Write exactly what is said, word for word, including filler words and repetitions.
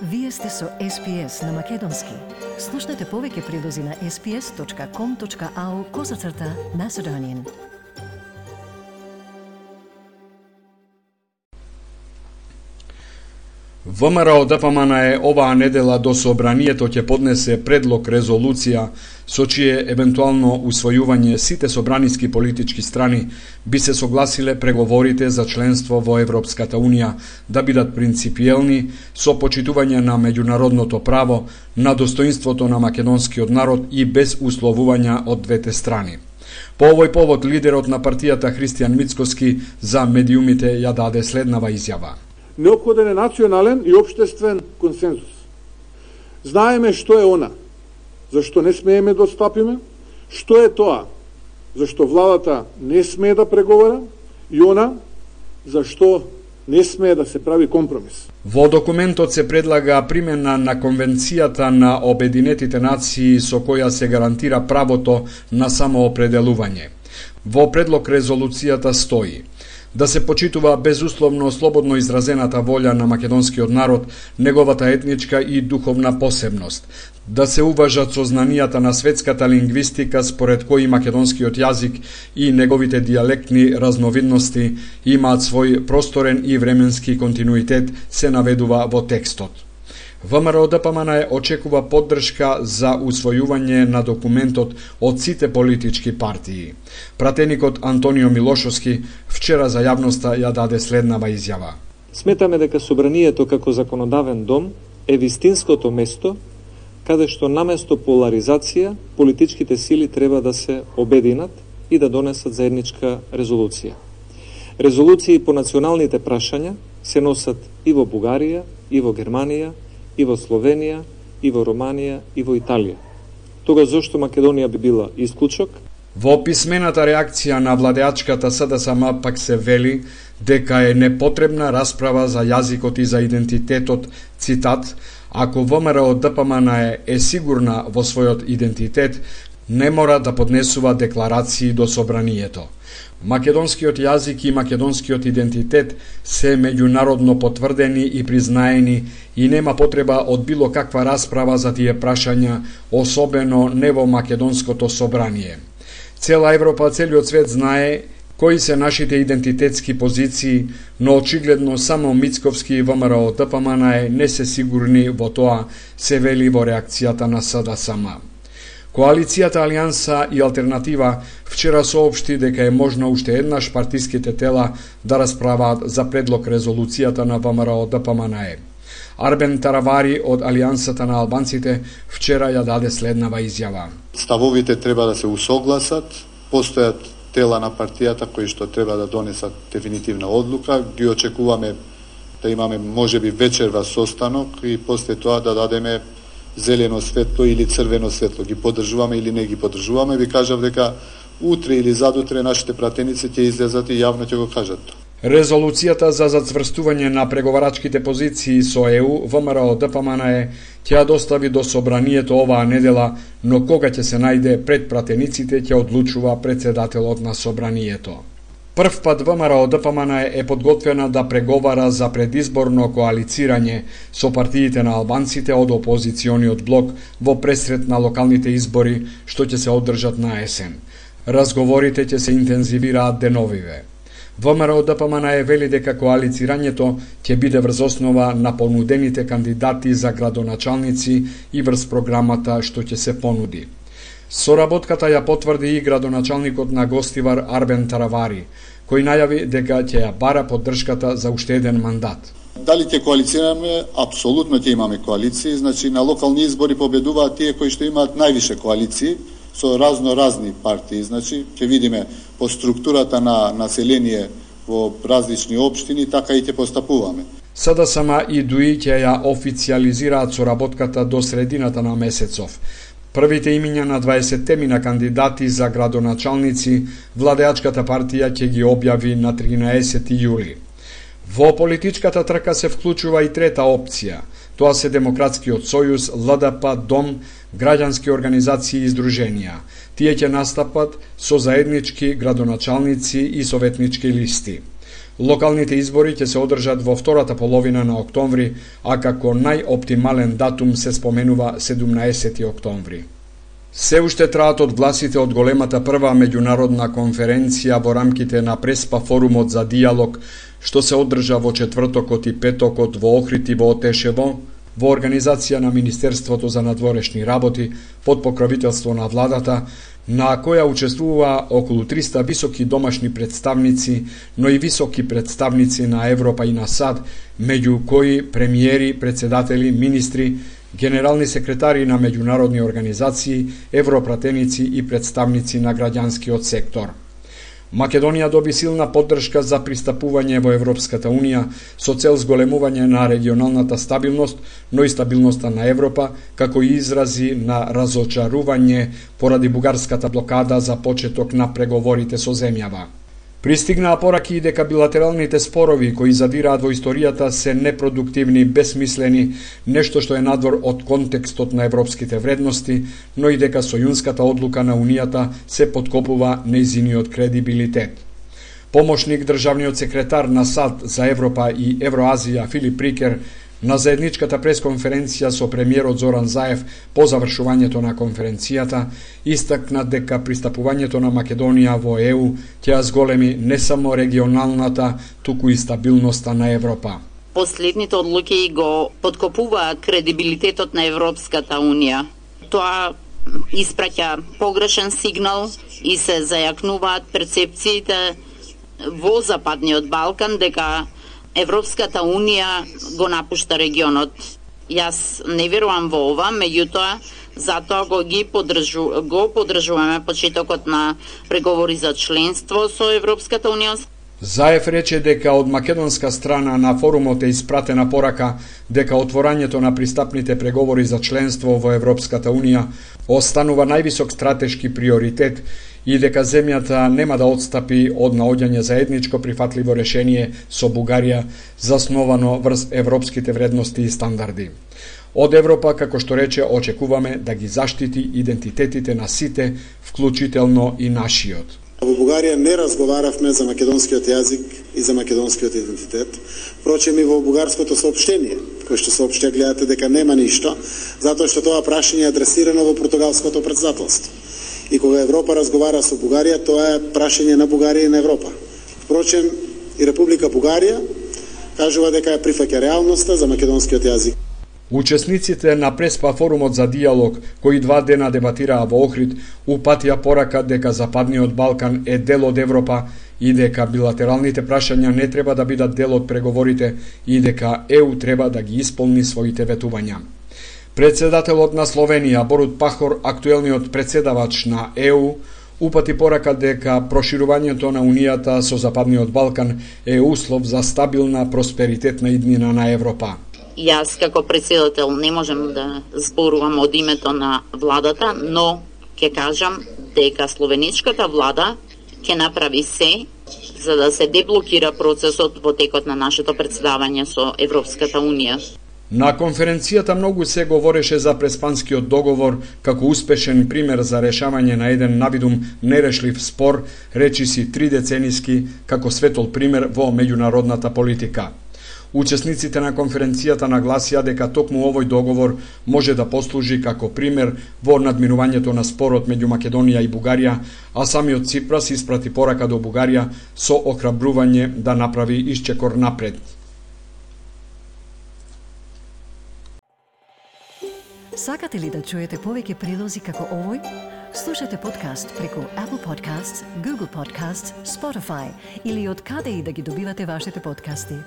Вие сте со Ес Пи Ес на Македонски. Слушнете повеќе прилози на ес пи ес точка ком точка ау козацрта Macedonian. ВМРО Д П М Н е оваа недела до собранието ќе поднесе предлог резолуција со чие евентуално усвојување сите собраниски политички страни би се согласиле преговорите за членство во Европската Унија да бидат принципиелни со почитување на меѓународното право, на достоинството на македонскиот народ и без условувања од двете страни. По овој повод лидерот на партијата Христијан Мицкоски за медиумите ја даде следнава изјава. Неопходен е национален и општествен консензус. Знаеме што е она, зашто не смееме да отстапиме, што е тоа, зашто владата не смее да преговара и она, зашто не смее да се прави компромис. Во документот се предлага примена на Конвенцијата на Обединетите нации со која се гарантира правото на самоопределување. Во предлог резолуцијата стои да се почитува безусловно слободно изразената волја на македонскиот народ, неговата етничка и духовна посебност, да се уважат сознанијата на светската лингвистика според кои македонскиот јазик и неговите дијалектни разновидности имаат свој просторен и временски континуитет, се наведува во текстот. ВМРО Д П М Н е очекува поддршка за усвојување на документот од сите политички партии. Пратеникот Антонио Милошовски вчера за јавноста ја даде следнава изјава. Сметаме дека собранието како законодавен дом е вистинското место каде што наместо поларизација политичките сили треба да се обединат и да донесат заедничка резолуција. Резолуции по националните прашања се носат и во Бугарија, и во Германија, и во Словенија, и во Романија, и во Италија. Тога зошто Македонија би била исклучок? Во писмената реакција на владеачката С Д С М пак се вели дека е непотребна расправа за јазикот и за идентитетот, цитат, ако ВМРО Д П М Н е, е сигурна во својот идентитет, не мора да поднесува декларации до собранието. Македонскиот јазик и македонскиот идентитет се меѓународно потврдени и признаени и нема потреба од било каква расправа за тие прашања, особено не во македонското собрание. Цела Европа, целиот свет знае кои се нашите идентитетски позиции, но очигледно само Мицковски и ВМРО Д П М Н е не се сигурни во тоа, се вели во реакцијата на С Д С М. Коалицијата Алијанса и Алтернатива вчера соопшти дека е можно уште еднаш партиските тела да расправаат за предлог резолуцијата на ВМРО Д П М Н е. Арбен Таравари од Алијансата на албанците вчера ја даде следнава изјава. Ставовите треба да се усогласат, постојат тела на партијата кои што треба да донесат дефинитивна одлука, ги очекуваме да имаме можеби вечерва состанок и после тоа да дадеме зелено светло или црвено светло, ги поддржуваме или не ги поддржуваме. Ви кажав дека утре или задутре нашите пратеници ќе излезат и јавно ќе го кажат. Резолуцијата за зацврстување на преговарачките позиции со Е У, ВМРО Д П М Н е ќе ја достави до собранието оваа недела, но кога ќе се најде пред пратениците ќе одлучува председателот на собранието. Прв пат ВМРО Д П М Н е подготвена да преговара за предизборно коалицирање со партиите на албанците од опозициониот блок во пресрет на локалните избори што ќе се одржат на есен. Разговорите ќе се интензивираат деновиве. ВМРО Д П М Н е вели дека коалицирањето ќе биде врз основа на понудените кандидати за градоначалници и врз програмата што ќе се понуди. Соработката ја потврди и градоначалникот на Гостивар Арбен Таравари, кој најави дека ќе ја бара поддршката за уште еден мандат. Дали ќе коалицираме? Апсолутно ќе имаме коалиции, значи на локални избори победуваат тие кои што имаат највише коалиции со разно разни партии, значи ќе видиме по структурата на население во различни општини, така и ќе постапуваме. С Д С М и Д У И ќе ја официјализираат соработката до средината на месецов. Првите имиња на дваесетте мина кандидати за градоначалници владеачката партија ќе ги објави на тринаесети јули. Во политичката трка се вклучува и трета опција. Тоа се Демократскиот сојуз, Л Д П, Дом, граѓански организации и здруженија. Тие ќе настапат со заеднички градоначалници и советнички листи. Локалните избори ќе се одржат во втората половина на октомври, а како најоптимален датум се споменува седумнаесети октомври. Се уште траат одгласите од големата прва меѓународна конференција во рамките на Преспа форумот за диалог, што се одржа во четвртокот и петокот во Охрид и во Отешево, во организација на Министерството за надворешни работи, под покровителство на владата, на која учествува околу триста високи домашни представници, но и високи представници на Европа и на САД, меѓу кои премиери, председатели, министри, генерални секретари на меѓународни организации, европратеници и представници на граѓанскиот сектор. Македонија доби силна поддршка за пристапување во Европската Унија со цел зголемување на регионалната стабилност, но и стабилноста на Европа, како и изрази на разочарување поради бугарската блокада за почеток на преговорите со земјава. Пристигнаа пораки и дека билатералните спорови кои задираат во историјата се непродуктивни, бесмислени, нешто што е надвор од контекстот на европските вредности, но и дека сојунската одлука на Унијата се подкопува нејзиниот кредибилитет. Помошник државниот секретар на САД за Европа и Евроазија Филип Рикер на заедничката пресконференција со премиерот Зоран Заев по завршувањето на конференцијата истакна дека пристапувањето на Македонија во Е У ќе ја зголеми не само регионалната, туку и стабилноста на Европа. Последните одлуки го подкопува кредибилитетот на Европската Унија. Тоа испраќа погрешен сигнал и се зајакнуваат перцепциите во Западниот Балкан дека Европската Унија го напушта регионот. Јас не верувам во ова, меѓутоа затоа го ги поддржу, го поддржуваме почетокот на преговори за членство со Европската Унија. Заев рече дека од македонска страна на форумот е испратена порака дека отворањето на пристапните преговори за членство во Европската Унија останува највисок стратешки приоритет и дека земјата нема да отстапи од наоѓање заедничко прифатливо решение со Бугарија засновано врз европските вредности и стандарди. Од Европа, како што рече, очекуваме да ги заштити идентитетите на сите, вклучително и нашиот. Во Бугарија не разговаравме за македонскиот јазик и за македонскиот идентитет. Впрочем и во бугарското соопштение, кој што соопштија гледате дека нема ништо, затоа што тоа прашање е адресирано во португалското претседателство. И кога Европа разговара со Бугарија, тоа е прашање на Бугарија и на Европа. Впрочем и Република Бугарија кажува дека ја прифаќа реалноста за македонскиот јазик. Учесниците на Преспа форумот за диалог, кои два дена дебатираа во Охрид, упатија порака дека Западниот Балкан е дел од Европа и дека билатералните прашања не треба да бидат дел од преговорите и дека Е У треба да ги исполни своите ветувања. Председателот на Словенија Борут Пахор, актуелниот председавач на Е У, упати порака дека проширувањето на Унијата со Западниот Балкан е услов за стабилна просперитетна иднина на Европа. Јас како председател не можем да зборувам од името на владата, но ќе кажам дека словеничката влада ќе направи се за да се деблокира процесот во текот на нашето председавање со Европската Унија. На конференцијата многу се говореше за Преспанскиот договор како успешен пример за решавање на еден навидум нерешлив спор, речиси тридецениски, како светол пример во меѓународната политика. Учесниците на конференцијата нагласија дека токму овој договор може да послужи како пример во надминувањето на спорот меѓу Македонија и Бугарија, а самиот Ципрас испрати порака до Бугарија со охрабрување да направи исчекор напред. Сакате ли да чуете повеќе прилози како овој? Слушате подкаст преку Apple Podcasts, Google Podcasts, Spotify или од каде и да ги добивате вашите подкасти.